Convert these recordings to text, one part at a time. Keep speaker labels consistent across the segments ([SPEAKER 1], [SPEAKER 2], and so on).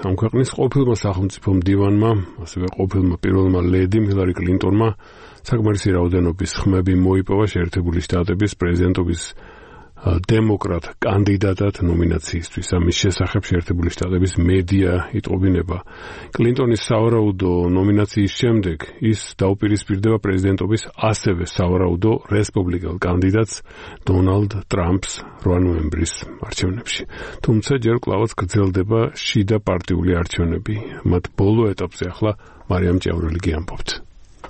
[SPEAKER 1] ამ ქვეყნის ყოფილმა სახელმწიფო მდივანმა, ასევე ყოფილმა პირველმა ლედიმ ჰილარი კლინტონმა საკმარისი რაოდენობის ხმები მოიპოვა შეერთებული შტატების პრეზიდენტობის დემოკრატ კანდიდატად ნომინაციისთვის. ამის შესახებ შეერთებული შტატების მედია იტყობინება. კლინტონის სავარაუდო ნომინაციის შემდეგ ის დაუპირისპირდება პრეზიდენტობის ასევე სავარაუდო რესპუბლიკელ კანდიდატს დონალდ ტრამპს 8 ნოემბრის არჩევნებში. თუმცა ჯერ კვლავაც გრძელდება შიდა პარტიული არჩევნები. მათ ბოლო ეტაპზე ახლა მარიამ ჭიაურელი გიამბობთ.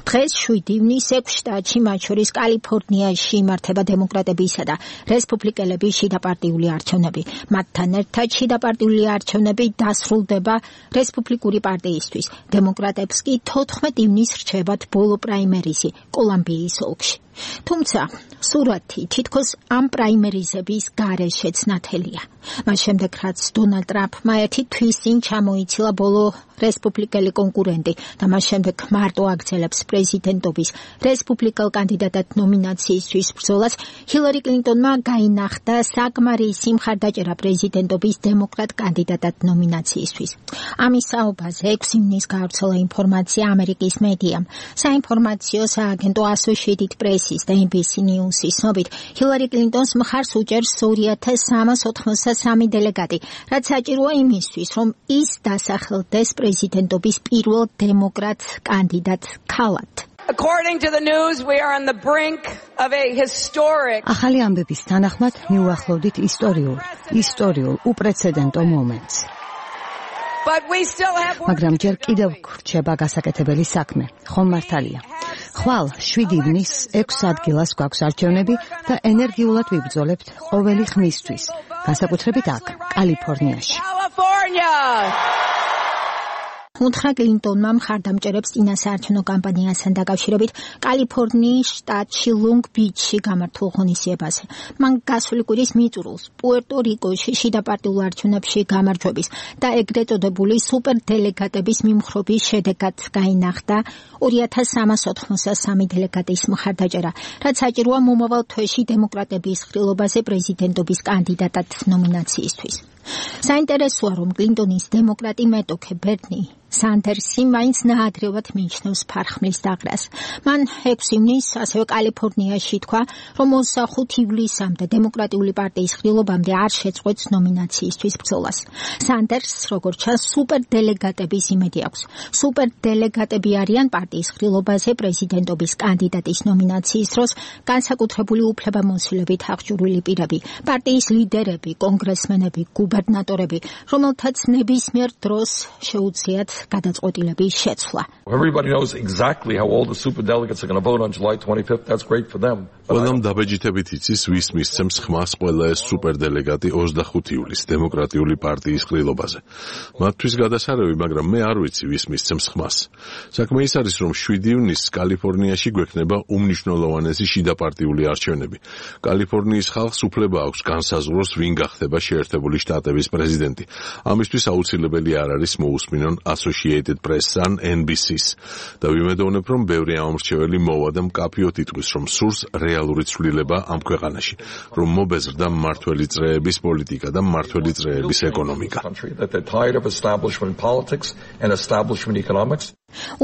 [SPEAKER 2] დღეს 7 ივნის 6 შტატში, მათ შორის კალიფორნიაში იმართება დემოკრატებისა და რესპუბლიკელების შიდაპარტიული არჩევნები. მათთან ერთად შიდაპარტიული არჩევნები დასრულდება რესპუბლიკური პარტიისთვის. დემოკრატებს კი 14 ივნის რჩებათ ბოლო პრაიმერიზი კოლუმბიის ოლქში. თუმცა სურათი თითქოს ამ პრაიმერიზების გარეშეც ნათელია. მას შემდეგ რაც დონალდ ტრამპმა ერთი თვის წინ ჩამოიცილა ბოლო რესპუბლიკელი კონკურენტი და მას შემდეგ მარტო აგრძელებს პრეზიდენტობის რესპუბლიკელ კანდიდატად ნომინაციისთვის ბრძოლას, ჰილარი კლინტონმა გაინახდა საკმარისი მხარდაჭერა პრეზიდენტობის დემოკრატ კანდიდატად ნომინაციისთვის. ამის საუბარზე 6 ივნის გავრცელა ინფორმაცია ამერიკის მედიამ. საინფორმაციო სააგენტო Associated Press-ის და NBC News-ის ცნობით, ჰილარი კლინტონს მხარს უჭერს 2383 დელეგატი, რაც საჭიროა იმისთვის, რომ ის დასახელდეს პრეზიდენტობის პირველ დემოკრატ კანდიდატ ქალად.
[SPEAKER 3] According to the news, we are on the brink of a historic.
[SPEAKER 4] ახალი ამბების თანახმად მიუახლოვდით ისტორიულ უპრეცედენტო მომენტს. მაგრამ ჯერ კიდევ გრჩება გასაკეთებელი საქმე. ხომ მართალია. ხვალ 7 ივნის 6 ადგილას გვაქვს არჩევნები და ენერგიულად ვიბრძოლებთ ყოველი ხმისთვის, განსაკუთრებით აქ, კალიფორნიაში.
[SPEAKER 2] უთხრა კლინტონმა მხარდამჭერებს წინასაარჩევნო კამპანიასთან დაკავშირებით კალიფორნიის შტატში ლონგ-ბიჩში გამართულ ღონისძიებაზე. მან გასული კვირის მიწურულს პუერტო-რიკოში შიდაპარტიულ არჩევნებში გამარჯვების და ეგრეთ წოდებული სუპერდელეგატების მიმხრობის შედეგად გაინახდა 2383 დელეგატის მხარდაჭერა, რაც საჭიროა მომავალ თვეში დემოკრატების ხილობაზე პრეზიდენტობის კანდიდატად ნომინაციისთვის. საინტერესოა, რომ კლინტონის დემოკრატი მეტოქე ბერნი სანდერსი მაინც ნაადრევად მიიჩნევს ფარხმლის დაღრას. მან 6 ივნის ასევე კალიფორნიაში თქვა, რომ 25 ივლისამდე დემოკრატიული პარტიის ხილობამდე არ შეწყვეტს ნომინაციისთვის ბრძოლას. სანდერსს, როგორც ჩანს, სუპერდელეგატების იმედი აქვს. სუპერდელეგატები არიან პარტიის ხილობაზე პრეზიდენტობის კანდიდატის ნომინაციის დროს განსაკუთრებული უფლებამოსილებით აღჭურვილი პირები, პარტიის ლიდერები, კონგრესმენები, გუბერნატორები, რომელთაც ნებისმიერ დროს შეუძლიათ გადაწყვეტილების შეცვლა.
[SPEAKER 5] Everybody knows exactly how all the superdelegates are going to vote on July 25th. That's great for them.
[SPEAKER 6] ყველამ დაბეჯითებით იცის, ვის მისცემს ხმას ყველა ეს სუპერდელეგატი 25 ივლისს დემოკრატიული პარტიის ყრილობაზე. მათთვის გადასარევი, მაგრამ მე არ ვიცი, ვის მისცემს ხმას. საქმე ის არის, რომ 7 ივნისს კალიფორნიაში გვექნება უმნიშვნელოვანესი შიდაპარტიული არჩევნები. კალიფორნიის ხალხს უფლება აქვს განსაზღვროს, ვინ გახდება შეერთებული შტატების პრეზიდენტი. ამისთვის აუცილებელი არ არის მოусმინონ Associated Press-ან NBC-ს და ვიმედოვნებ, რომ ბევრი ამომრჩეველი მოვა და მკაფიოდ იტყვის, რომ სურს რეალური ცვლილება ამ ქვეყანაში, რომ მობეზრდა მმართველი წრეების პოლიტიკა და მმართველი წრეების ეკონომიკა.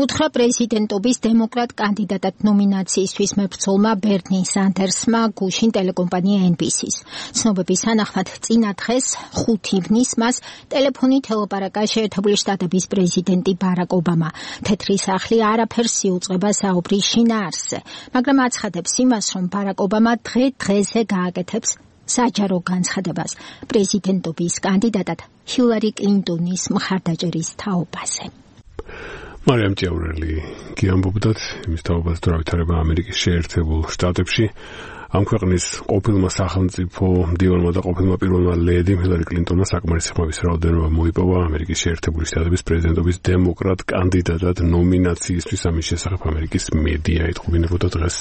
[SPEAKER 2] უთხრა პრეზიდენტობის დემოკრატ კანდიდატად ნომინაციისთვის მებრძოლმა ბერნი სანდერსმა გუშინ ტელეკომპანია NBC-ს. ცნობების თანახმად წინა დღეს 5 ივნის მას ტელეფონით ელაპარაკა შეერთებული შტატების პრეზიდენტი ბარაკ ობამა. თეთრი სახლი არაფერს იუწყება საუბრის შინაარსზე, მაგრამ აცხადებს იმას, რომ ბარაკ ობამა დღე-დღეზე გააკეთებს საჯარო განცხადებას პრეზიდენტობის კანდიდატად ჰილარი კლინტონის მხარდაჭერის თაობაზე.
[SPEAKER 1] მარიამ ჭიაურელი გიამბობდათ იმის თაობას თუ რა ვითარება ამერიკის შეერთებულ შტატებში. ამ ქვეყნის ყოფილმა სახელმწიფო მდივანმა და ყოფილმა პირველმა ლედიმ ჰილარი კლინტონმა საკმარისი ხმების რაოდენობა მოიპოვა ამერიკის შეერთებული შტატების პრეზიდენტობის დემოკრატ კანდიდატად ნომინაციისთვის. ამის შესახებ ამერიკის მედია იტყობინებოდა დღეს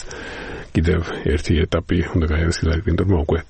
[SPEAKER 1] კიდევ ერთი ეტაპი უნდა გაიარეს ჰილარი კლინტონმა უკვე